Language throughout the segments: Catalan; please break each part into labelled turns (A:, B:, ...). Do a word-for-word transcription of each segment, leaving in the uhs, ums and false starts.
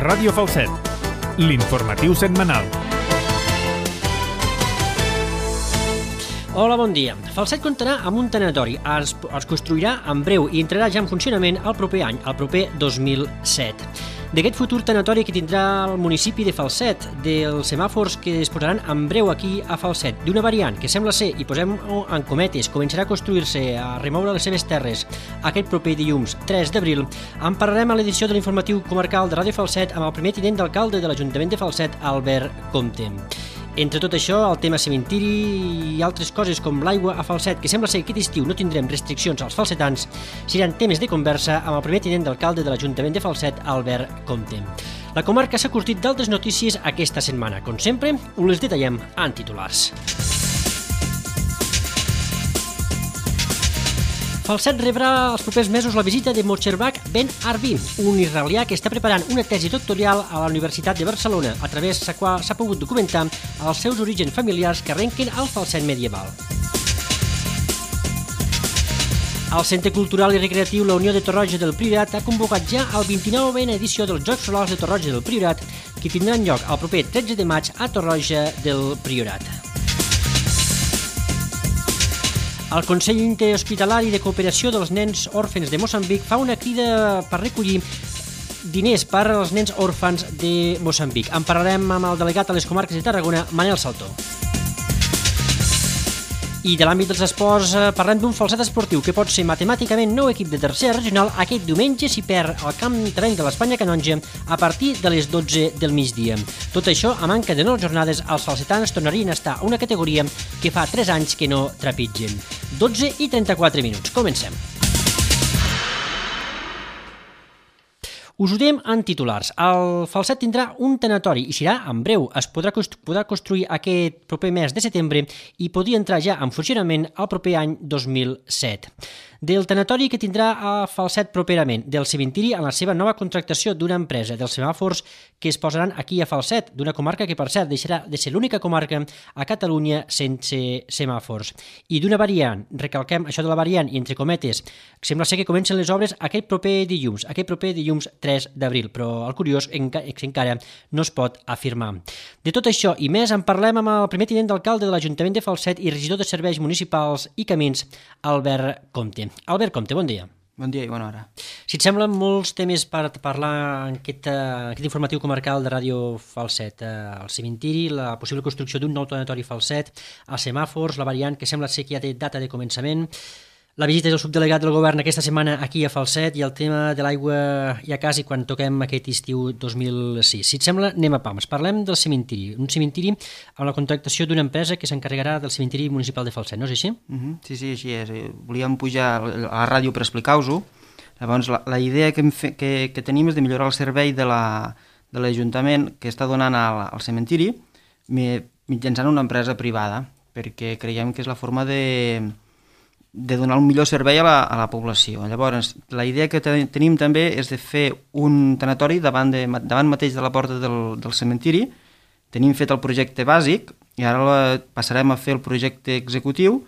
A: Ràdio Falset, l'informatiu setmanal.
B: Hola, bon dia. Falset comptarà amb un tanatori. Es, es construirà en breu i entrarà ja en funcionament el proper any, el proper dos mil set. D'aquest futur tanatori que tindrà el municipi de Falset, dels semàfors que es posaran en breu aquí a Falset, d'una variant que sembla ser, i posem en cometes, començarà a construir-se, a remoure les seves terres aquest proper dilluns tres d'abril, en parlarem a l'edició de l'informatiu comarcal de Ràdio Falset amb el primer tinent d'alcalde de l'Ajuntament de Falset, Albert Comte. Entre tot això, el tema cementiri i altres coses com l'aigua a Falset, que sembla ser que aquest estiu no tindrem restriccions als falsetans, seran temes de conversa amb el primer tinent d'alcalde de l'Ajuntament de Falset, Albert Comte. La comarca s'ha curtit d'altres notícies aquesta setmana. Com sempre, us les detallem en titulars. Falset rebrà els propers mesos la visita de Mosherbak Ben Arbi, un israelià que està preparant una tesi doctoral a la Universitat de Barcelona, a través de la qual s'ha pogut documentar els seus orígens familiars que arrenquen al Falset medieval. El Centre Cultural i Recreatiu La Unió de Torroja del Priorat ha convocat ja el vint-i-novena edició dels Jocs Florals de Torroja del Priorat, que tindran lloc el proper tretze de maig a Torroja del Priorat. El Consell Interhospitalari de Cooperació dels Nens Òrfens de Moçambic fa una crida per recollir diners per als nens òrfans de Moçambic. En parlarem amb el delegat a les comarques de Tarragona, Manel Saltó. I de l'àmbit dels esports parlem d'un Falset esportiu que pot ser matemàticament nou equip de tercera regional aquest diumenge si perd al camp terreny de l'Espanya Canonja a partir de les dotze del migdia. Tot això, a manca de nou jornades, els falsetans tornarien a estar a una categoria que fa tres anys que no trepitgen. dotze i trenta-quatre minuts. Comencem. Us ho diem en titulars. El Falset tindrà un tanatori i serà en breu. Es podrà, podrà construir aquest proper mes de setembre i podria entrar ja en funcionament el proper any dos mil set. Del tanatori que tindrà a Falset properament, del cementiri en la seva nova contractació d'una empresa, dels semàfors que es posaran aquí a Falset, d'una comarca que, per cert, deixarà de ser l'única comarca a Catalunya sense semàfors. I d'una variant, recalquem això de la variant, i entre cometes, sembla ser que comencen les obres aquest proper dilluns, aquest proper dilluns tres d'abril, però el curiós és que encara no es pot afirmar. De tot això i més en parlem amb el primer tinent d'alcalde de l'Ajuntament de Falset i regidor de Serveis Municipals i Camins, Albert Comte. Albert Comte, bon dia.
C: Bon dia i bona hora.
B: Si et semblen molts temes per parlar en aquest, uh, aquest informatiu comarcal de Ràdio Falset, uh, el cementiri, la possible construcció d'un nou tanatori Falset, els semàfors, la variant que sembla ser que ja té data de començament, la visita del subdelegat del govern aquesta setmana aquí a Falset i el tema de l'aigua ja quasi quan toquem aquest estiu dos mil sis. Si et sembla, anem a pams. Parlem del cementiri. Un cementiri amb la contractació d'una empresa que s'encarregarà del cementiri municipal de Falset, no és així?
C: Uh-huh. Sí, sí, així és. Volíem pujar a la ràdio per explicar-vos-ho. Llavors, la, la idea que, fe, que, que tenim és de millorar el servei de l'Ajuntament la, que està donant al, al cementiri mitjançant una empresa privada, perquè creiem que és la forma de... de donar un millor servei a la, a la població. Llavors, la idea que te, tenim també és de fer un tanatori davant, de, davant mateix de la porta del, del cementiri. Tenim fet el projecte bàsic i ara la, passarem a fer el projecte executiu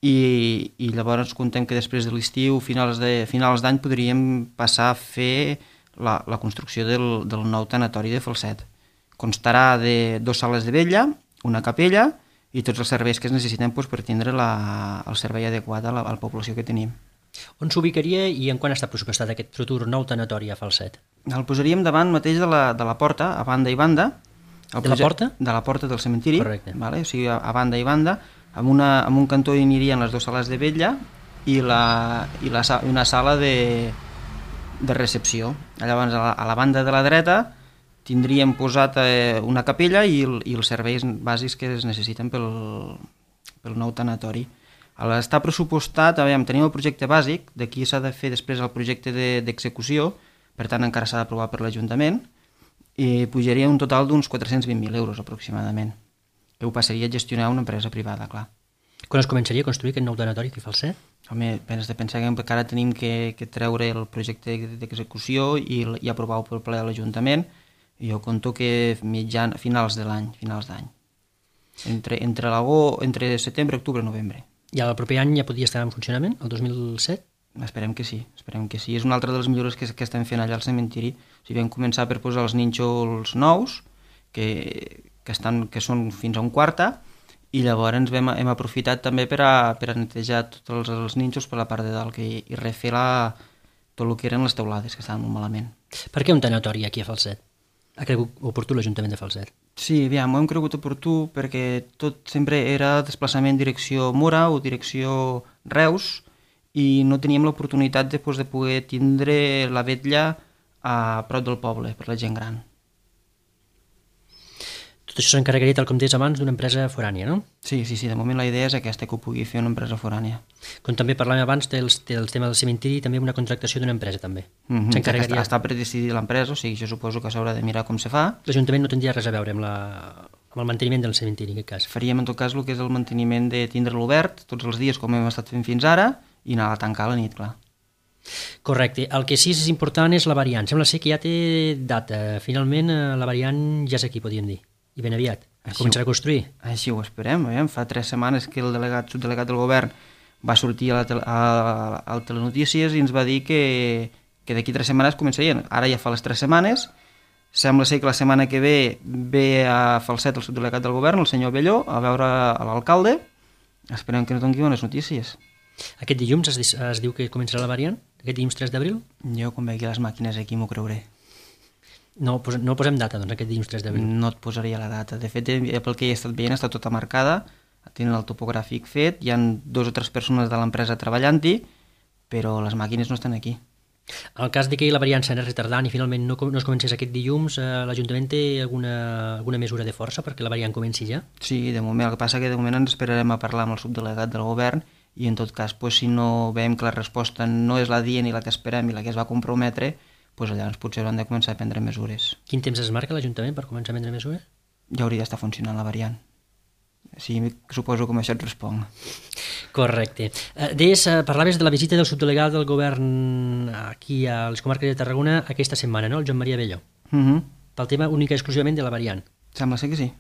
C: i, i llavors contem que després de l'estiu, finals de finals d'any, podríem passar a fer la, la construcció del, del nou tanatori de Falset. Constarà de dues sales de vetlla, una capella i tots els serveis que es necessiten doncs, per tindre la, el servei adequat a la, a la població que tenim.
B: On s'ubicaria i en quan està pressupostat aquest futur nou tanatori a Falset?
C: El posaríem davant mateix de la, de la porta, a banda i banda.
B: El de la porta?
C: De la porta del cementiri.
B: Correcte.
C: Vale? O sigui, a, a banda i banda. Amb, una, amb un cantó hi anirien les dues sales de vetlla i, la, i la, una sala de, de recepció. Llavors, a la, a la banda de la dreta tindríem posat eh, una capella i, el, i els serveis bàsics que es necessiten pel, pel nou tanatori. A l'estar pressupostat, aviam, tenim el projecte bàsic, d'aquí s'ha de fer després el projecte d'execució, de, per tant encara s'ha d'aprovar per l'Ajuntament, i pujaria un total d'uns quatre-cents vint mil euros aproximadament, que ho passaria a gestionar una empresa privada, clar.
B: Quan es començaria a construir aquest nou tanatori aquí a Falset?
C: Home, has de pensar que encara tenim que, que treure el projecte d'execució i, i aprovar-ho per ple a l'Ajuntament. Jo conto que mitjan, finals de l'any, finals d'any. Entre, entre, entre setembre, octubre i novembre.
B: I el proper any ja podria estar en funcionament, el dos mil set?
C: Esperem que sí, esperem que sí. És una altra de les millores que, que estem fent allà al cementiri. O sigui, vam començar per posar els nínxols nous, que, que, estan, que són fins a un quarta, i llavors vam, hem aprofitat també per a, per a netejar tots els, els nínxols per la part de dalt que, i refer la, tot el que eren les teulades, que estaven molt malament.
B: Per què un tanatori aquí a Falset? Ha cregut oportú l'Ajuntament de Falset?
C: Sí, aviam, ho hem cregut oportú perquè tot sempre era desplaçament direcció Mura o direcció Reus, i no teníem l'oportunitat de, pues, de poder tindre la vetlla a prop del poble, per la gent gran.
B: Tot això s'encarregaria, tal com deies abans, d'una empresa forània, no?
C: Sí, sí, sí, de moment la idea és aquesta, que ho pugui fer una empresa forània.
B: Com també parlàvem abans del, del tema del cementiri, també una contractació d'una empresa, també.
C: Mm-hmm.
B: S'encarregaria...
C: Està, està per decidir l'empresa, o sigui, jo suposo que s'haurà de mirar com se fa.
B: L'Ajuntament no tindria res a veure amb, la... amb el manteniment del cementiri, en aquest cas.
C: Faríem, en tot cas, el que és el manteniment de tindre-lo obert tots els dies, com hem estat fent fins ara, i anar a tancar a la nit, clar.
B: Correcte. El que sí és important és la variant. Sembla ser que ja té data. Finalment, la variant ja és aquí, podríem dir. I ben aviat.
C: Així
B: Començarà a construir.
C: Així ho esperem. Veiem. Fa tres setmanes que el delegat, subdelegat del govern va sortir a la tel a, a Telenotícies i ens va dir que, que d'aquí tres setmanes començarien. Ara ja fa les tres setmanes. Sembla ser que la setmana que ve ve a Falset el subdelegat del govern, el senyor Belló, a veure l'alcalde. Esperem que no doni bones notícies.
B: Aquest dilluns es, es diu que començarà la variant? Aquest dilluns tres d'abril?
C: Jo, quan vegi les màquines aquí, m'ho creuré.
B: No, pos no posem data, doncs, aquest dilluns tres d'abril.
C: No et posaria la data. De fet, pel que he estat veient, està tota marcada, tenen el topogràfic fet, hi ha dos o tres persones de l'empresa treballant-hi, però les màquines no estan aquí.
B: En el cas de que la variant s'anés retardant i finalment no, no es comencés aquest dilluns, eh, l'Ajuntament té alguna, alguna mesura de força perquè la variant comenci ja?
C: Sí, de moment. El que passa que de moment ens esperarem a parlar amb el subdelegat del govern i en tot cas, pues, si no veiem que la resposta no és la dient i la que esperem i la que es va comprometre, pues, llavors potser hauran de començar a prendre mesures.
B: Quin temps es marca l'Ajuntament per començar a prendre mesures?
C: Ja hauria d'estar funcionant la variant. Sí, suposo que amb això et responc.
B: Correcte. Eh, Deies, eh, parlaves de la visita del subdelegat del govern aquí a les comarques de Tarragona aquesta setmana, no? El Joan Maria Belló.
C: Uh -huh.
B: Pel tema única i exclusivament de la variant.
C: Sembla ser que sí.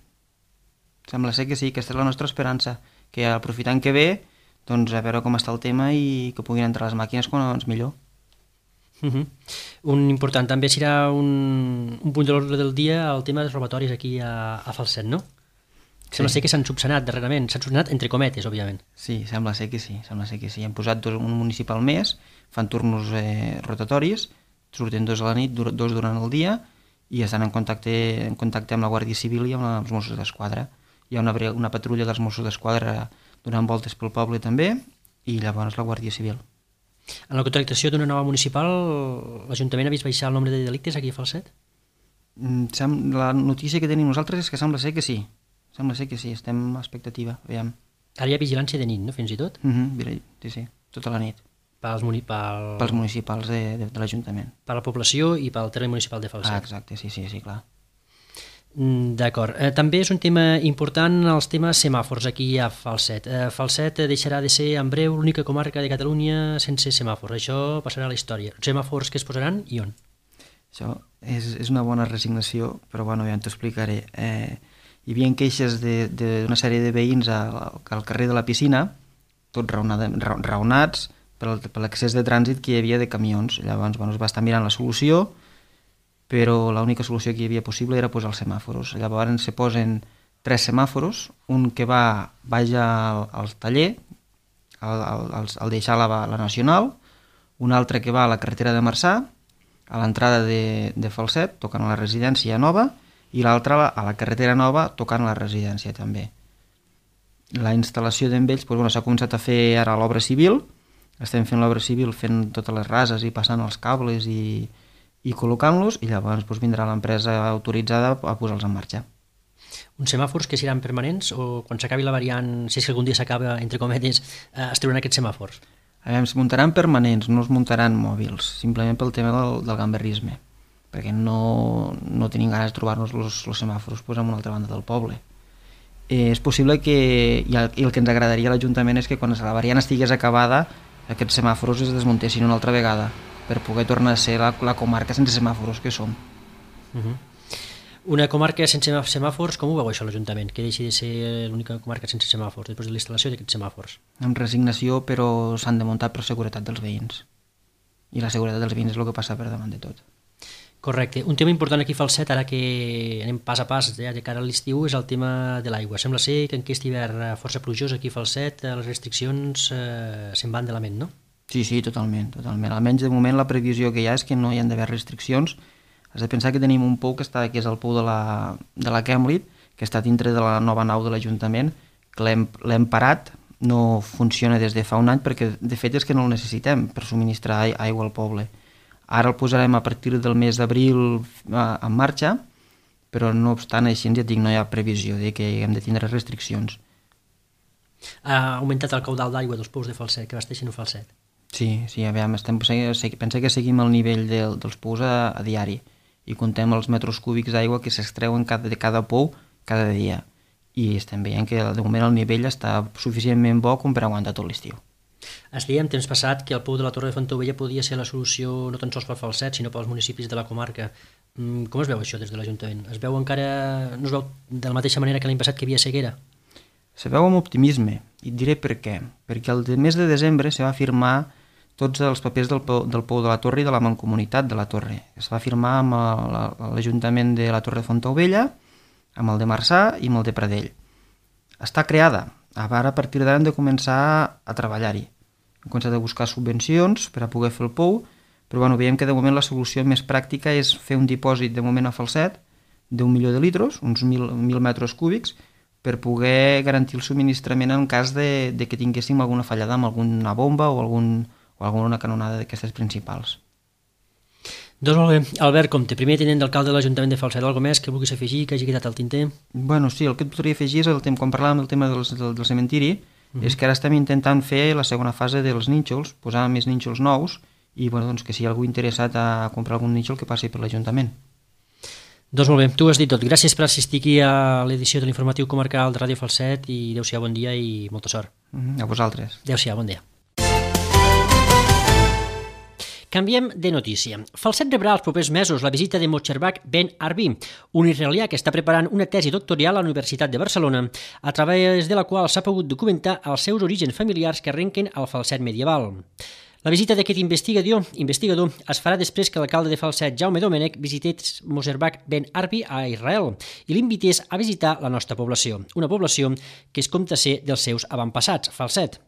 C: Sembla ser que sí, aquesta és la nostra esperança, que aprofitant que ve, doncs a veure com està el tema i que puguin entrar les màquines quan abans millor.
B: Uh -huh. Un important també serà un, un punt de l'ordre del dia el tema dels robatoris aquí a, a Falset, no? Sembla
C: Sí.
B: ser que s'han subsanat darrerament, s'han subsanat entre cometes, òbviament.
C: Sí, sembla ser que sí, sembla ser que sí. Hem posat dos, un municipal més, fan turnos eh, rotatoris, surten dos a la nit, dur, dos durant el dia, i estan en contacte, en contacte amb la Guàrdia Civil i amb els Mossos d'Esquadra. Hi ha una, una patrulla dels Mossos d'Esquadra donant voltes pel poble també, i llavors la Guàrdia Civil.
B: En la contractació d'una nova municipal, l'Ajuntament ha vist baixar el nombre de delictes aquí a Falset?
C: Mm, sem- La notícia que tenim nosaltres és que sembla ser que sí. Sembla ser que sí, estem a expectativa, aviam.
B: Ara hi ha vigilància de nit, no?, fins i tot?
C: Uh -huh, sí, sí, tota la nit.
B: Pels muni pel...
C: Pels municipals de, de, de l'Ajuntament.
B: Per la població i pel terme municipal de Falset.
C: Ah, exacte, sí, sí, sí, clar.
B: Mm, D'acord. Eh, també és un tema important els temes semàfors aquí a Falset. Eh, Falset eh, deixarà de ser en breu l'única comarca de Catalunya sense semàfors. Això passarà a la història. Els semàfors que es posaran i on?
C: Això és, és una bona resignació, però bueno, ja t'ho explicaré. Eh, hi havia queixes d'una sèrie de veïns al, al carrer de la Piscina, tots raonada, ra, raonats per, per l'accés de trànsit que hi havia de camions. Llavors bueno, es va estar mirant la solució, però l'única solució que hi havia possible era posar els semàforos. Llavors se posen tres semàforos, un que va baix al, al taller, al, al, al deixar la, la Nacional, un altre que va a la carretera de Marçà, a l'entrada de, de Falset, tocant a la residència nova, i l'altre a la carretera nova, tocant a la residència també. La instal·lació d'en ells, doncs, bueno, s'ha començat a fer ara l'obra civil, estem fent l'obra civil, fent totes les rases i passant els cables i, i col·locant-los, i llavors doncs, vindrà l'empresa autoritzada a posar-los en marxa.
B: Uns semàfors que seran permanents o quan s'acabi la variant, si és que algun dia s'acaba, entre cometes, eh, es trauran aquests semàfors?
C: A veure, es muntaran permanents, no es muntaran mòbils, simplement pel tema del, del gamberrisme, perquè no, no tenim ganes de trobar-nos els semàfors pues, en una altra banda del poble. Eh, és possible que, i el, i el que ens agradaria a l'Ajuntament és que quan la variant estigués acabada aquests semàfors es desmuntessin una altra vegada per poder tornar a ser la, la comarca sense semàfors que som.
B: Uh -huh. Una comarca sense semàfors, com ho veu això l'Ajuntament? Que deixi de ser l'única comarca sense semàfors després de la instal·lació d'aquests semàfors?
C: Amb resignació, però s'han de muntar per seguretat dels veïns. I la seguretat dels veïns és el que passa per davant de tot.
B: Correcte. Un tema important aquí a Falset, ara que anem pas a pas ja de cara a l'estiu, és el tema de l'aigua. Sembla ser que en aquest hivern força plujós aquí a Falset les restriccions eh, se'n van de la ment, no?
C: Sí, sí, totalment, totalment. Almenys de moment la previsió que hi ha és que no hi ha d'haver restriccions. Has de pensar que tenim un pou que, està, que és el pou de la, de la Kemlit, que està dintre de la nova nau de l'Ajuntament, que l'hem parat, no funciona des de fa un any perquè de fet és que no el necessitem per subministrar aigua al poble. Ara el posarem a partir del mes d'abril en marxa, però no obstant així ja dic, no hi ha previsió de que hem de tindre restriccions.
B: Ha augmentat el caudal d'aigua dels pous de Falset, que abasteixen a Falset?
C: Sí, sí, aviam, estem, pensa que seguim el nivell de, dels pous a, a diari i contem els metres cúbics d'aigua que s'extreuen cada, de cada pou cada dia i estem veient que de moment el nivell està suficientment bo com per aguantar tot l'estiu.
B: Es deia en temps passat que el pou de la Torre de Fontaubella podia ser la solució no tan sols per Falset, sinó pels municipis de la comarca. Com es veu això des de l'Ajuntament? Es veu encara, no es veu de la mateixa manera que l'any passat que hi havia sequera?
C: Se veu amb optimisme, i et diré per què. Perquè el mes de desembre se va firmar tots els papers del pou, del pou de la Torre i de la Mancomunitat de la Torre. Es va firmar amb l'Ajuntament de la Torre de Fontaubella, amb el de Marçà i amb el de Pradell. Està creada. Ara, a partir d'ara, hem de començar a treballar-hi. Hem començat a buscar subvencions per a poder fer el pou, però bueno, veiem que de moment la solució més pràctica és fer un dipòsit de moment a Falset d'un milió de litres, uns mil, mil metres cúbics, per poder garantir el subministrament en cas de, de que tinguéssim alguna fallada amb alguna bomba o, algun, o alguna canonada d'aquestes principals.
B: Doncs molt bé. Albert Comte, primer tinent d'alcalde de l'Ajuntament de Falset, alguna més que vulguis afegir, que hagi quedat al tinter?
C: Bueno, sí, el que et podria afegir és el tema, quan parlàvem del tema del, del, del cementiri, uh-huh. és que ara estem intentant fer la segona fase dels nínxols, posar més nínxols nous, i bueno, doncs que si hi ha algú interessat a comprar algun nínxol que passi per l'Ajuntament.
B: Doncs molt bé, tu has dit tot. Gràcies per assistir aquí a l'edició de l'informatiu comarcal de Ràdio Falset i adéu-siau, bon dia i molta sort.
C: Uh-huh. A vosaltres.
B: Adéu-siau, bon dia. Canviem de notícia. Falset rebrà els propers mesos la visita de Mosherbak Ben Arbi, un israelià que està preparant una tesi doctoral a la Universitat de Barcelona, a través de la qual s'ha pogut documentar els seus orígens familiars que arrenquen al Falset medieval. La visita d'aquest investigador, investigador es farà després que l'alcalde de Falset, Jaume Domènech, visités Mosherbak Ben Arbi a Israel i l'invités a visitar la nostra població, una població que es compta ser dels seus avantpassats, Falset.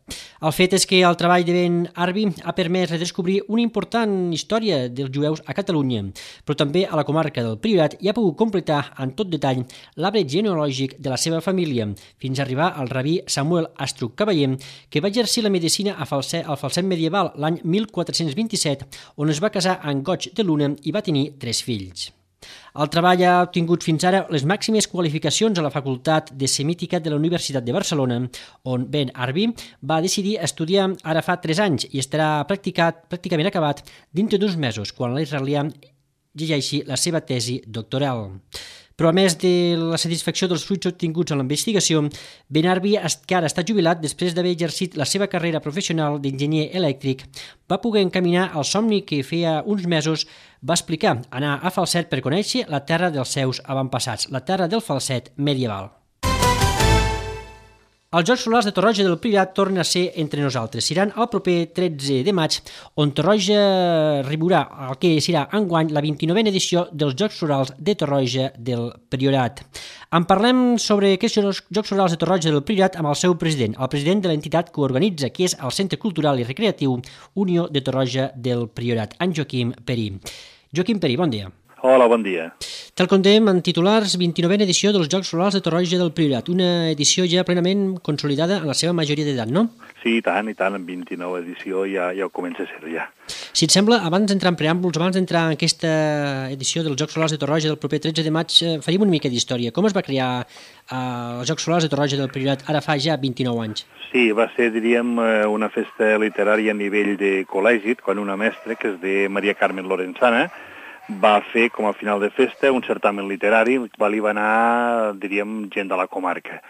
B: El fet és que el treball de Ben Arbi ha permès redescobrir una important història dels jueus a Catalunya, però també a la comarca del Priorat i ha pogut completar en tot detall l'arbre genealògic de la seva família, fins a arribar al rabí Samuel Astruc Cavaller, que va exercir la medicina a Falset, al Falset medieval l'any mil quatre-cents vint-i-set, on es va casar amb Goig de Luna i va tenir tres fills. El treball ha obtingut fins ara les màximes qualificacions a la Facultat de Semítica de la Universitat de Barcelona, on Ben Arbi va decidir estudiar ara fa tres anys i estarà practicat, pràcticament acabat dintre d'uns mesos, quan l'israelià llegeixi la seva tesi doctoral. Però a més de la satisfacció dels fruits obtinguts en la investigació, Ben Arbi, que ara està jubilat després d'haver exercit la seva carrera professional d'enginyer elèctric, va poder encaminar el somni que feia uns mesos va explicar, anar a Falset per conèixer la terra dels seus avantpassats, la terra del Falset medieval. Els Jocs Florals de Torroja del Priorat tornen a ser entre nosaltres. Seran el proper tretze de maig, on Torroja arribarà el que serà enguany la vint-i-novena edició dels Jocs Florals de Torroja del Priorat. En parlem sobre aquests Jocs Florals de Torroja del Priorat amb el seu president, el president de l'entitat que ho organitza, que és el Centre Cultural i Recreatiu Unió de Torroja del Priorat, en Joaquim Perí. Joaquim Perí, bon dia.
D: Hola, bon dia.
B: Tal contem en titulars, vint-i-novena edició dels Jocs Florals de Torroja del Priorat, una edició ja plenament consolidada en la seva majoria d'edat, no?
D: Sí, i tant, i tant, en vint-i-nova edició ja, ja ho comença a ser ja.
B: Si et sembla, abans d'entrar en preàmbuls, abans d'entrar en aquesta edició dels Jocs Florals de Torroja del proper tretze de maig, faríem una mica d'història. Com es va crear eh, els Jocs Florals de Torroja del Priorat ara fa ja vint-i-nou anys?
D: Sí, va ser, diríem, una festa literària a nivell de col·legi, quan una mestra, que és de Maria Carmen Lorenzana, va fer, com a final de festa, un certamen literari, va li va anar, diríem, gent de la comarca.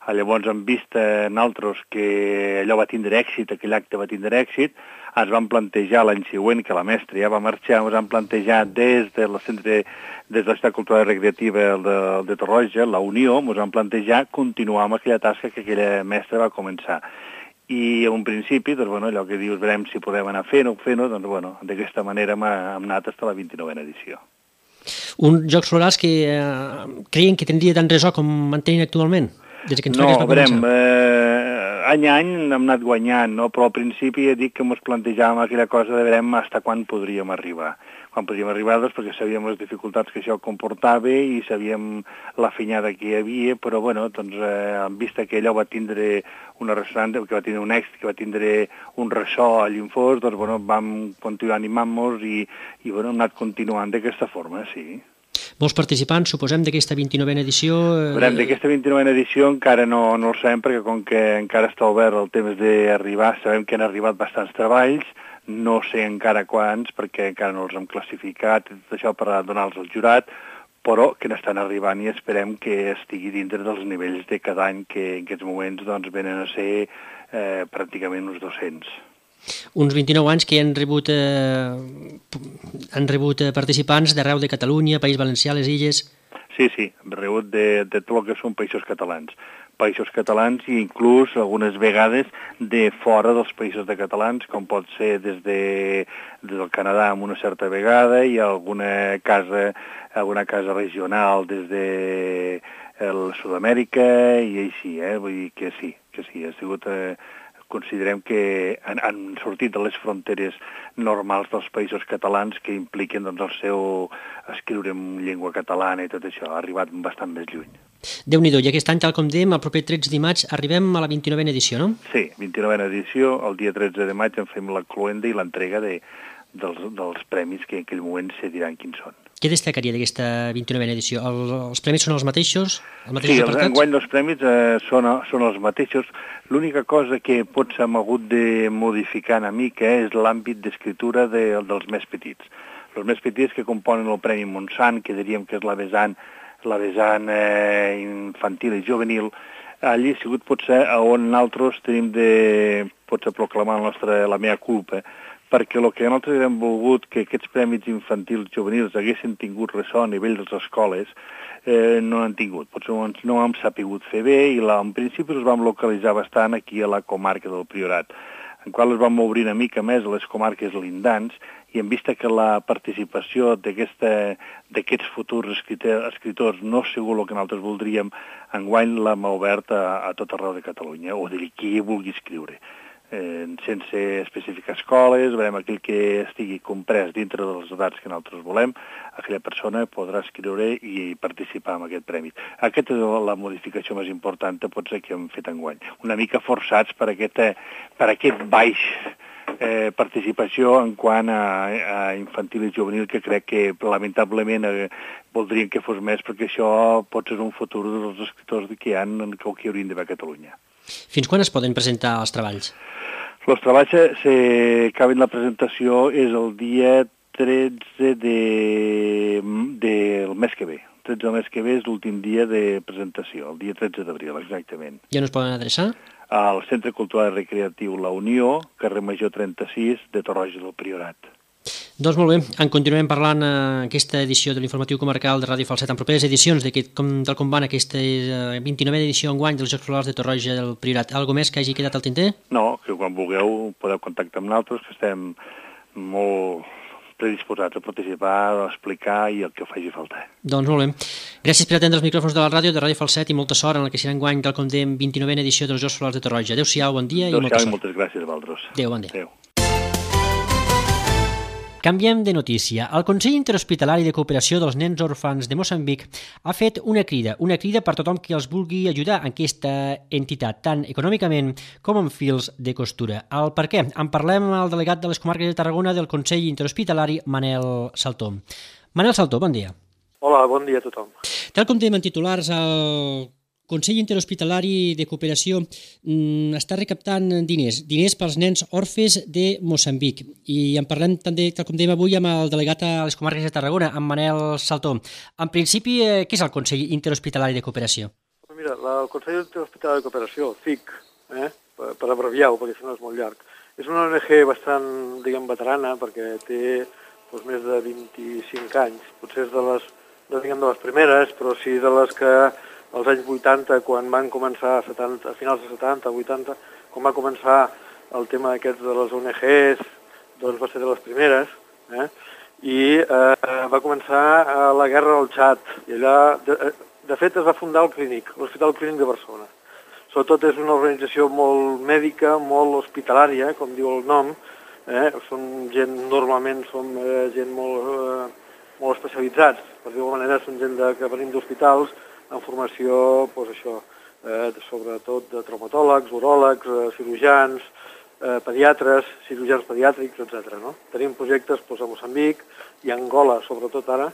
D: Llavors, en vista nosaltres que allò va tindre èxit, aquell acte va tindre èxit, ens vam plantejar l'any següent, que la mestra ja va marxar, ens vam plantejar des de la centre, des de la ciutat cultural i recreativa de, de Torroja, la Unió, ens vam plantejar continuar amb aquella tasca que aquella mestra va començar. I en un principi, doncs, bueno, allò que dius, veurem si podem anar fent-ho, fent-ho, doncs, bueno, d'aquesta manera hem anat fins a la vint-i-novena edició.
B: Uns Jocs Florals que eh, creien que tindria tant ressò com mantenen actualment? Des que ens
D: no,
B: va
D: veurem, eh, any a any hem anat guanyant, no? Però al principi he dit que ens plantejàvem aquella cosa de veurem fins quan podríem arribar. Quan podríem arribar, doncs, perquè sabíem les dificultats que això comportava i sabíem la fenyada que hi havia, però, bueno, doncs, eh, en vista que allò va tindre una ressonància, que va tindre un èxit, que va tindre un ressò a Llinfos, doncs, bueno, vam continuar animant-nos i, i, bueno, hem anat continuant d'aquesta forma, sí.
B: Molts participants, suposem, d'aquesta vint-i-novena edició... Eh...
D: Veurem, d'aquesta vint-i-novena edició encara no, no ho sabem, perquè com que encara està obert el temps d'arribar, sabem que han arribat bastants treballs, no sé encara quants, perquè encara no els hem classificat, tot això per donar-los al jurat, però que n'estan arribant i esperem que estigui dintre dels nivells de cada any, que en aquests moments doncs, venen a ser eh, pràcticament uns dos-cents.
B: Uns vint-i-nou anys que han rebut, eh, han rebut participants d'arreu de Catalunya, País Valencià, les Illes...
D: Sí, sí, hem rebut de, de tot el que són països catalans. Països catalans i inclús algunes vegades de fora dels països de catalans, com pot ser des, de, des del Canadà amb una certa vegada i alguna casa, alguna casa regional des de el Sud-amèrica i així, eh? Vull dir que sí, que sí, ha sigut... Eh, considerem que han, han sortit de les fronteres normals dels països catalans que impliquen doncs, el seu escriure en llengua catalana i tot això, ha arribat bastant més lluny.
B: Déu-n'hi-do, i aquest any, tal com dèiem, el proper tretze de maig arribem a la vint-i-novena edició, no?
D: Sí, vint-i-novena edició, el dia tretze de maig en fem la cloenda i l'entrega de, dels, dels premis que en aquell moment se diran quins són.
B: Què destacaria d'aquesta vint-i-novena edició? El, els premis són els mateixos? Els
D: mateixos sí, apartats? Enguany els premis eh, són, són els mateixos. L'única cosa que potser hem hagut de modificar una mica és l'àmbit d'escriptura de, dels més petits. Els més petits que componen el Premi Montsant, que diríem que és la vessant, la vessant eh, infantil i juvenil, allí ha sigut potser on nosaltres tenim de potser proclamar la, nostra, la meva culpa, perquè el que nosaltres hem volgut que aquests premis infantils juvenils haguessin tingut ressò a nivell de les escoles, eh, no han tingut. Potser no hem sapigut fer bé i la, en principi els vam localitzar bastant aquí a la comarca del Priorat, en qual es vam obrir una mica més a les comarques lindants i en vista que la participació d'aquests futurs escritors, escritors no ha sigut el que nosaltres voldríem, enguany l'hem obert a, a tot arreu de Catalunya, o dir qui vulgui escriure. Eh, sense especificar escoles, veurem aquell que estigui comprès dintre de les edats que nosaltres volem, aquella persona podrà escriure i participar en aquest premi. Aquesta és la modificació més important potser que hem fet enguany. Una mica forçats per, aquesta, per aquest baix eh, participació en quant a, a infantil i juvenil, que crec que lamentablement eh, voldrien que fos més, perquè això pot ser un futur dels escriptors que hi ha, que haurien d'haver a Catalunya.
B: Fins quan es poden presentar els treballs?
D: Els treballs, si acaben la presentació, és el dia tretze de, del mes que ve. El tretze del mes que ve és l'últim dia de presentació, el dia tretze d'abril, exactament.
B: I on es poden adreçar?
D: Al Centre Cultural i Recreatiu La Unió, carrer Major trenta-sis, de Torroja del Priorat.
B: Doncs molt bé, en continuem parlant en aquesta edició de l'Informatiu Comarcal de Ràdio Falset, en properes edicions de com, tal com van aquesta vint-i-novena edició enguany dels Jocs Florals de Torroja del Priorat. Algo més que hagi quedat al tinter?
D: No, que quan vulgueu podeu contactar amb nosaltres, que estem molt predisposats a participar, a explicar i el que faci falta.
B: Doncs molt bé. Gràcies per atendre els micròfons de la ràdio, de Ràdio Falset, i molta sort en el que serà enguany, tal com dèiem, vint-i-novena edició dels Jocs Florals de Torroja. Adéu-siau, bon dia i molta sort.
D: Adéu-siau i moltes gràcies a vosaltres.
B: Adéu, bon dia.
D: Adéu.
B: Canviem de notícia. El Consell Interhospitalari de Cooperació dels Nens Orfans de Moçambic ha fet una crida, una crida per tothom que els vulgui ajudar en aquesta entitat, tant econòmicament com amb fils de costura. El per què? En parlem amb el delegat de les comarques de Tarragona del Consell Interhospitalari, Manel Saltó. Manel Saltó, bon dia.
E: Hola, bon dia a tothom.
B: Tal com dèiem en titulars, el Consell Interhospitalari de Cooperació mm, està recaptant diners, diners pels nens orfes de Moçambic. I en parlem també, tal com dèiem avui, amb el delegat a les comarques de Tarragona, amb Manel Saltó. En principi, eh, què és el Consell Interhospitalari de Cooperació?
E: Mira, la, el Consell Hospitalari de Cooperació, C I C, eh, per, per abreviar-ho, perquè si no és molt llarg, és una O N G bastant, diguem, veterana, perquè té doncs, més de vint-i-cinc anys. Potser és de les, no diguem de les primeres, però sí de les que als anys vuitanta, quan van començar, setanta, a finals de setanta, vuitanta, quan va començar el tema aquests de les O N Gs, doncs va ser de les primeres, eh? I eh, va començar a la guerra del Txad, i allà, de, de fet, es va fundar el Clínic, l'Hospital Clínic de Barcelona. Sobretot és una organització molt mèdica, molt hospitalària, com diu el nom, eh? Són gent, normalment som eh, gent molt, eh, molt especialitzats, per dir-ho manera, són gent de, que venim d'hospitals, en formació, doncs això, eh, sobretot de traumatòlegs, uròlegs, eh, cirurgians, eh, pediatres, cirurgians pediàtrics, etcètera. No? Tenim projectes doncs, a Moçambic i a Angola, sobretot ara,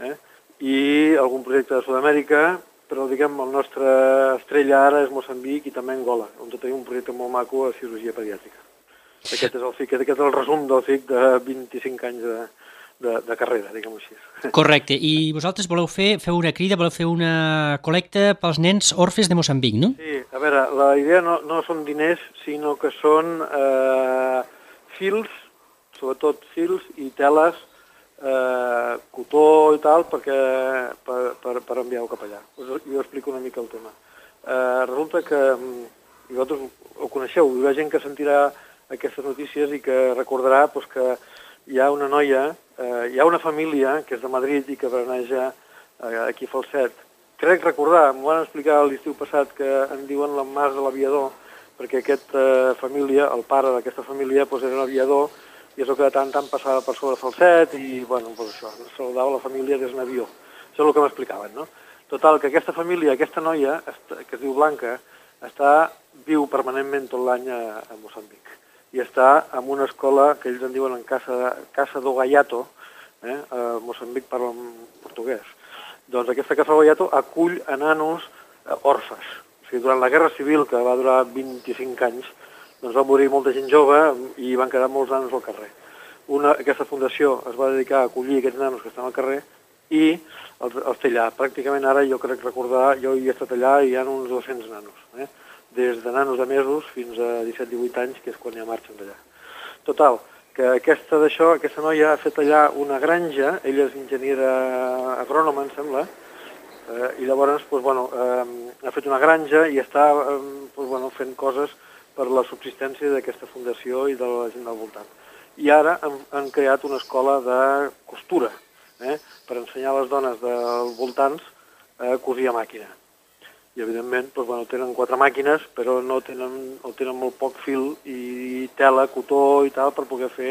E: eh, i algun projecte de Sud-amèrica, però diguem el nostre estrella ara és Moçambic i també Angola, on tenim un projecte molt maco a cirurgia pediàtrica. Aquest és el C I C, aquest és el resum del C I C de vint-i-cinc anys de, de, de carrera, diguem-ho així.
B: Correcte, i vosaltres voleu fer, feu una crida, voleu fer una col·lecta pels nens orfes de Moçambic, no?
E: Sí, a veure, la idea no, no són diners, sinó que són eh, fils, sobretot fils i teles, eh, cotó i tal, perquè, per, per, per enviar-ho cap allà. Us, jo explico una mica el tema. Eh, resulta que, i vosaltres ho coneixeu, hi ha gent que sentirà aquestes notícies i que recordarà doncs, que hi ha una noia, eh, hi ha una família que és de Madrid i que braneja eh, aquí a Falset. Crec recordar, m'ho van explicar l'estiu passat, que en diuen la Mas de l'Aviador, perquè aquesta eh, família, el pare d'aquesta família, doncs, era un aviador i és el que de tant en tant passava per sobre Falset i, bueno, doncs això, saludava la família des d'un avió. Això és el que m'explicaven, no? Total, que aquesta família, aquesta noia, que es diu Blanca, està, viu permanentment tot l'any a, a Moçambic. I està en una escola que ells en diuen en Casa, Casa do Gaiato, eh? A Moçambic parlen portuguès. Doncs aquesta Casa do Gaiato acull a nanos eh, orfes. O sigui, durant la Guerra Civil, que va durar vint-i-cinc anys, doncs va morir molta gent jove i van quedar molts nanos al carrer. Una, aquesta fundació es va dedicar a acollir aquests nanos que estan al carrer i els, els té allà. Pràcticament ara jo crec recordar, jo hi he estat allà i hi ha uns dos-cents nanos, eh? Des de nanos de mesos fins a disset divuit anys, que és quan ja marxen d'allà. Total, que aquesta d'això, aquesta noia ha fet allà una granja, ella és enginyera agrònoma, em sembla, eh, i llavors doncs, bueno, eh, ha fet una granja i està eh, doncs, bueno, fent coses per la subsistència d'aquesta fundació i de la gent del voltant. I ara han, han creat una escola de costura, eh, per ensenyar a les dones dels voltants a cosir a màquina. I, evidentment, doncs, bueno, tenen quatre màquines, però no tenen, no tenen molt poc fil i tela, cotó i tal, per poder fer...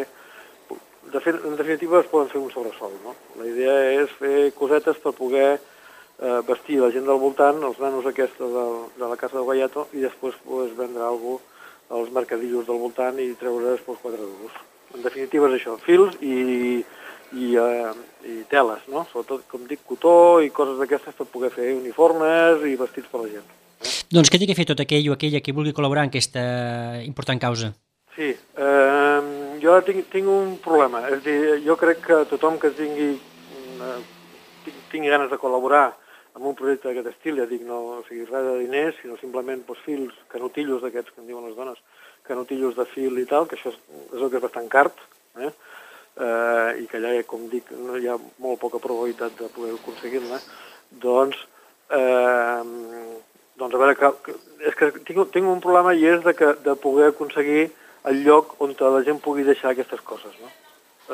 E: De fet, en definitiva, es poden fer un sobresol, no? La idea és fer cosetes per poder eh, vestir la gent del voltant, els nanos aquests de, de la Casa del Gaiato, i després pues, vendre alguna cosa als mercadillos del voltant i treure's pues, quatre duros. En definitiva és això, fils i... I, eh, i teles, no? Sobretot, com dic, cotó i coses d'aquestes per poder fer uniformes i vestits per la gent. Eh?
B: Doncs què té que fer tot aquell o aquella que vulgui col·laborar en aquesta important causa?
E: Sí, eh, jo tinc, tinc un problema. És dir, jo crec que tothom que tingui, eh, tingui ganes de col·laborar amb un projecte d'aquest estil, ja dic, no o sigui, res de diners, sinó simplement doncs, fils, canotillos d'aquests que en diuen les dones, canotillos de fil i tal, que això és, és el que és bastant car, eh? Uh, i que allà, com dic, no hi ha molt poca probabilitat de poder aconseguir-la, doncs, eh, doncs a veure, que, que, és que tinc, tinc un problema i és de, que, de poder aconseguir el lloc on la gent pugui deixar aquestes coses, no?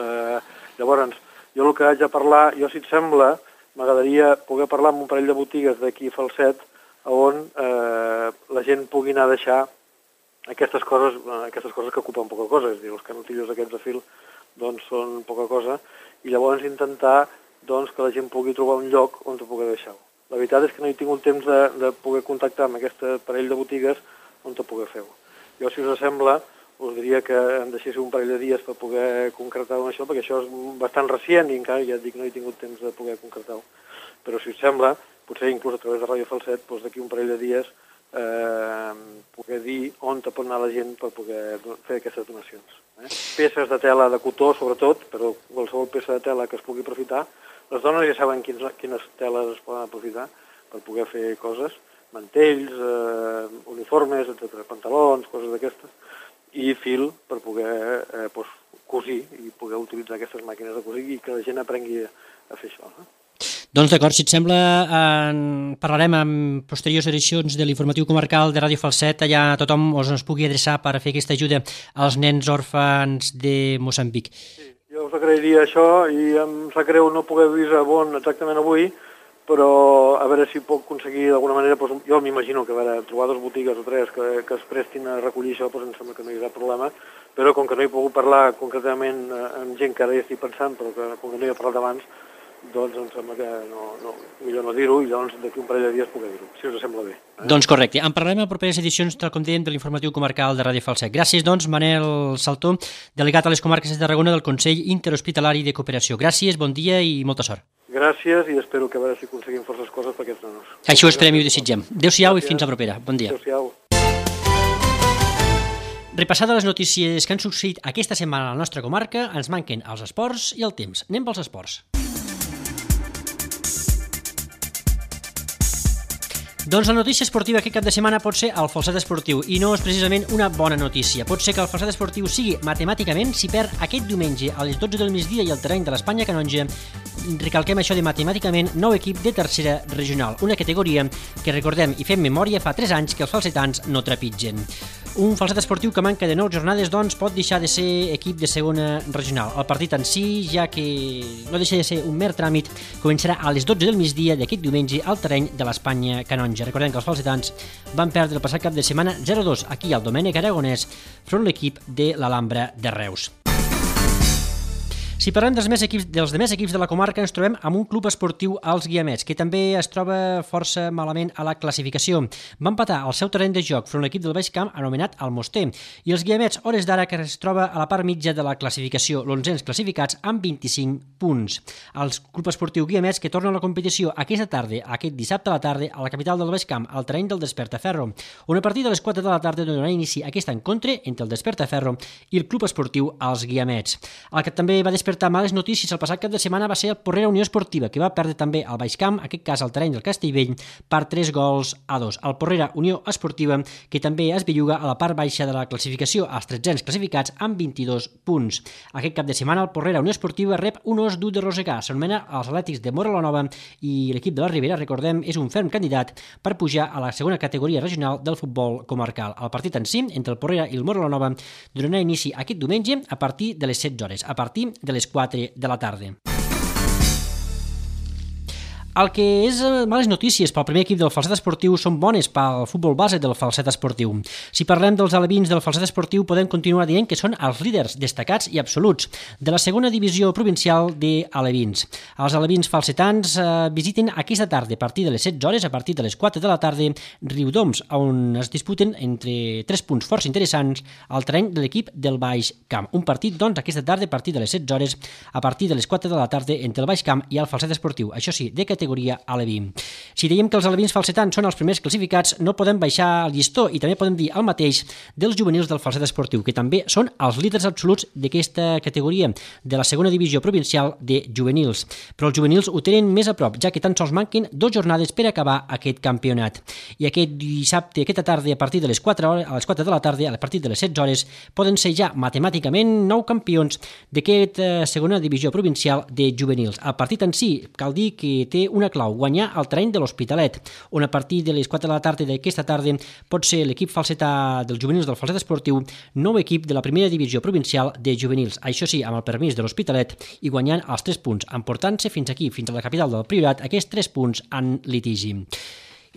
E: Eh, llavors, jo el que haig de parlar, jo si et sembla, m'agradaria poder parlar amb un parell de botigues d'aquí a Falset on eh, la gent pugui anar a deixar aquestes coses, aquestes coses que ocupen poca cosa, és a dir, els canotillos aquests de fil doncs són poca cosa, i llavors intentar doncs, que la gent pugui trobar un lloc on ho pugui deixar-ho. La veritat és que no he tingut temps de, de poder contactar amb aquest parell de botigues on ho pugui fer-ho. Jo, si us sembla, us diria que em deixéssiu un parell de dies per poder concretar això, perquè això és bastant recient i encara, ja et dic, no he tingut temps de poder concretar-ho. Però si us sembla, potser inclús a través de Ràdio Falset, doncs d'aquí un parell de dies eh, poder dir on te pot anar la gent per poder fer aquestes donacions. Eh? Peces de tela de cotó, sobretot, però qualsevol peça de tela que es pugui aprofitar. Les dones ja saben quines, quines teles es poden aprofitar per poder fer coses, mantells, eh, uniformes, etcètera, pantalons, coses d'aquestes, i fil per poder eh, doncs, cosir i poder utilitzar aquestes màquines de cosir i que la gent aprengui a fer això. Eh?
B: Doncs d'acord, si et sembla, en parlarem en posteriors edicions de l'informatiu comarcal de Ràdio Falset, allà tothom us ens pugui adreçar per fer aquesta ajuda als nens òrfans de Moçambic.
E: Sí, jo us agrairia això i em sap greu no poder dir a Bon exactament avui, però a veure si puc aconseguir d'alguna manera, doncs, jo m'imagino que a veure, trobar dues botigues o tres que, que es prestin a recollir això, doncs em sembla que no hi haurà problema, però com que no he pogut parlar concretament amb gent que ara ja estic pensant, però que com que no hi he parlat abans, doncs em sembla que no, no, millor no dir-ho i llavors d'aquí un parell de dies poder dir-ho, si us sembla bé. Eh?
B: Doncs correcte. En parlarem a properes edicions, tal com dèiem, de l'informatiu comarcal de Ràdio Falset. Gràcies, doncs, Manel Saltó, delegat a les comarques de Tarragona del Consell Interhospitalari de Cooperació. Gràcies, bon dia i molta sort.
E: Gràcies i espero que a veure si aconseguim forces coses per aquests nanos.
B: Això ho esperem i ho desitgem. Adéu-siau i fins a propera. Bon dia.
E: Adéu-siau.
B: Repassades les notícies que han succeït aquesta setmana a la nostra comarca, ens manquen els esports i el temps. Anem pels esports. Doncs la notícia esportiva aquest cap de setmana pot ser el Falset Esportiu i no és precisament una bona notícia. Pot ser que el Falset Esportiu sigui matemàticament si perd aquest diumenge a les dotze del migdia i al terreny de l'Espanya Canonja. Recalquem això de matemàticament nou equip de tercera regional, una categoria que recordem i fem memòria fa tres anys que els falsetans no trepitgen. Un Falset Esportiu que manca de nou jornades doncs pot deixar de ser equip de segona regional. El partit en si, ja que no deixa de ser un mer tràmit, començarà a les dotze del migdia d'aquest diumenge al terreny de l'Espanya Canonja. Recordem que els falsetans van perdre el passat cap de setmana zero a dos aquí al Domènec Aragonès front l'equip de l'Alhambra de Reus. Si parlem dels, més equips, dels demés equips de la comarca, ens trobem amb un club esportiu als Guiamets, que també es troba força malament a la classificació. Va empatar al seu terreny de joc front l'equip del Baix Camp anomenat Almoster, i els Guiamets, hores d'ara, que es troba a la part mitja de la classificació, l'onzens classificats amb vint-i-cinc punts. El club esportiu Guiamets, que torna a la competició aquesta tarda, aquest dissabte a la tarda, a la capital del Baix Camp, al terreny del Despertaferro, on a partir de les quatre de la tarda donarà inici a aquest encontre entre el Despertaferro i el club esportiu als Guiamets. El que també va despertar males notícies el passat cap de setmana va ser el Porrera Unió Esportiva, que va perdre també al Baix Camp, en aquest cas al terreny del Castellvell, per tres gols a dos. El Porrera Unió Esportiva, que també es belluga a la part baixa de la classificació, als tretzens classificats amb vint-i-dos punts. Aquest cap de setmana el Porrera Unió Esportiva rep un os dur de Rosegà, s'anomena els Atlètics de Móra la Nova, i l'equip de la Ribera, recordem, és un ferm candidat per pujar a la segona categoria regional del futbol comarcal. El partit en si, entre el Porrera i el Móra la Nova, donarà inici aquest diumenge a partir de les setze hores, a partir de les quatre de la tarda. El que és males notícies pel primer equip del Falset Esportiu són bones pel futbol base del Falset Esportiu. Si parlem dels alevins del Falset Esportiu, podem continuar dient que són els líders destacats i absoluts de la segona divisió provincial d'alevins. Els alevins falsetans eh, visiten aquesta tarda, a partir de les setze hores, a partir de les quatre de la tarda, Riudoms, on es disputen entre tres punts força interessants al terreny de l'equip del Baix Camp. Un partit, doncs, aquesta tarda, a partir de les setze hores, a partir de les quatre de la tarda, entre el Baix Camp i el Falset Esportiu. Això sí, de categoria aleví. Si dèiem que els alevins falsetans són els primers classificats, no podem baixar el llistó i també podem dir el mateix dels juvenils del Falset Esportiu, que també són els líders absoluts d'aquesta categoria de la segona divisió provincial de juvenils. Però els juvenils ho tenen més a prop, ja que tan sols manquen dues jornades per acabar aquest campionat. I aquest dissabte, aquesta tarda, a partir de les quatre hores, a les quatre de la tarda, a partir de les setze hores, poden ser ja matemàticament nou campions d'aquesta segona divisió provincial de juvenils. El partit en si, cal dir que té una clau, guanyar el terreny de l'Hospitalet, on a partir de les quatre de la tarda d'aquesta tarda pot ser l'equip falsetà dels juvenils del Falset Esportiu, nou equip de la primera divisió provincial de juvenils, això sí, amb el permís de l'Hospitalet i guanyant els tres punts, emportant-se fins aquí, fins a la capital del Priorat, aquests tres punts en litigi.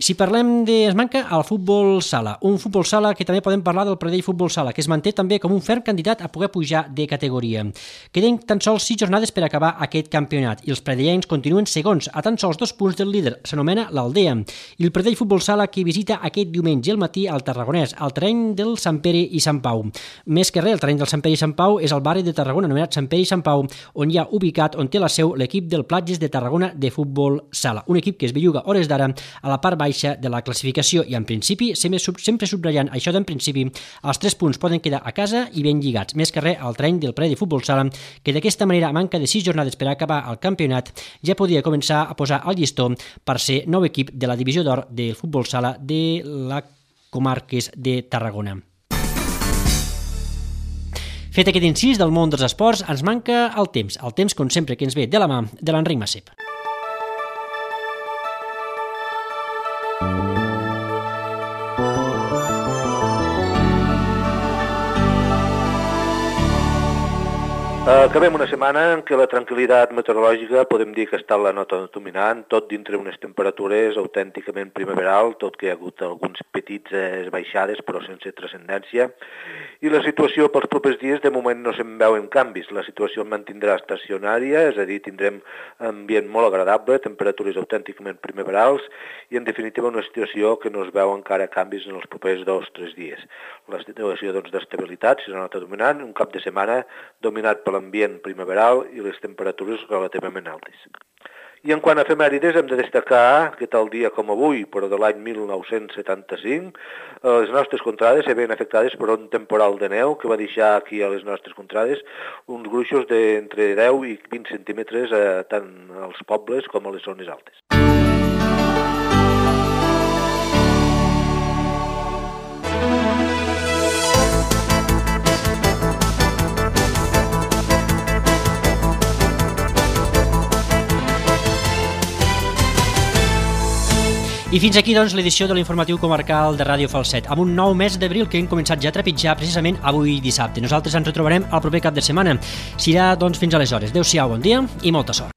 B: Si parlem de... es manca el futbol sala, un futbol sala que també podem parlar del Pradell Futbol Sala, que es manté també com un ferm candidat a poder pujar de categoria. Queden tan sols sis jornades per acabar aquest campionat i els pradellencs continuen segons, a tan sols dos punts del líder, s'anomena l'Aldea, i el Pradell Futbol Sala que visita aquest diumenge al matí al Tarragonès, al terreny del Sant Pere i Sant Pau. Més que res, el terreny del Sant Pere i Sant Pau és el barri de Tarragona anomenat Sant Pere i Sant Pau, on hi ha ubicat, on té la seu l'equip del Platges de Tarragona de futbol sala, un equip que es belluga hores d'ara a la part baixa de la classificació i en principi, sempre subratllant això d'en principi, els tres punts poden quedar a casa i ben lligats, més que res al terreny del Predi Futbol Sala, que d'aquesta manera, a manca de sis jornades per acabar el campionat, ja podia començar a posar el llistó per ser nou equip de la divisió d'or del Futbol Sala de la Comarques de Tarragona. Fet aquest incís del món dels esports, ens manca el temps, el temps, com sempre, que ens ve de la mà de l'Enric Massep.
F: Acabem una setmana en què la tranquil·litat meteorològica podem dir que està en la nota dominant, tot dintre unes temperatures autènticament primaveral, tot que hi ha hagut alguns petits baixades però sense transcendència, i la situació pels propers dies de moment no se'n veuen canvis. La situació es mantindrà estacionària, és a dir, tindrem ambient molt agradable, temperatures autènticament primaverals i en definitiva una situació que no es veu encara canvis en els propers dos o tres dies. La situació doncs, d'estabilitat serà la nota dominant, un cap de setmana dominat per l'ambient primaveral i les temperatures relativament altes. I en quant a efemèrides, hem de destacar que tal dia com avui, però de l'any mil nou-cents setanta-cinc, les nostres contrades se veien afectades per un temporal de neu que va deixar aquí a les nostres contrades uns gruixos d'entre deu i vint centímetres eh, tant als pobles com a les zones altes.
B: I fins aquí, doncs, l'edició de l'informatiu comarcal de Ràdio Falset, amb un nou mes d'abril que hem començat ja a trepitjar precisament avui dissabte. Nosaltres ens retrobarem el proper cap de setmana. Serà, doncs, fins aleshores. Adéu-siau, bon dia i molta sort.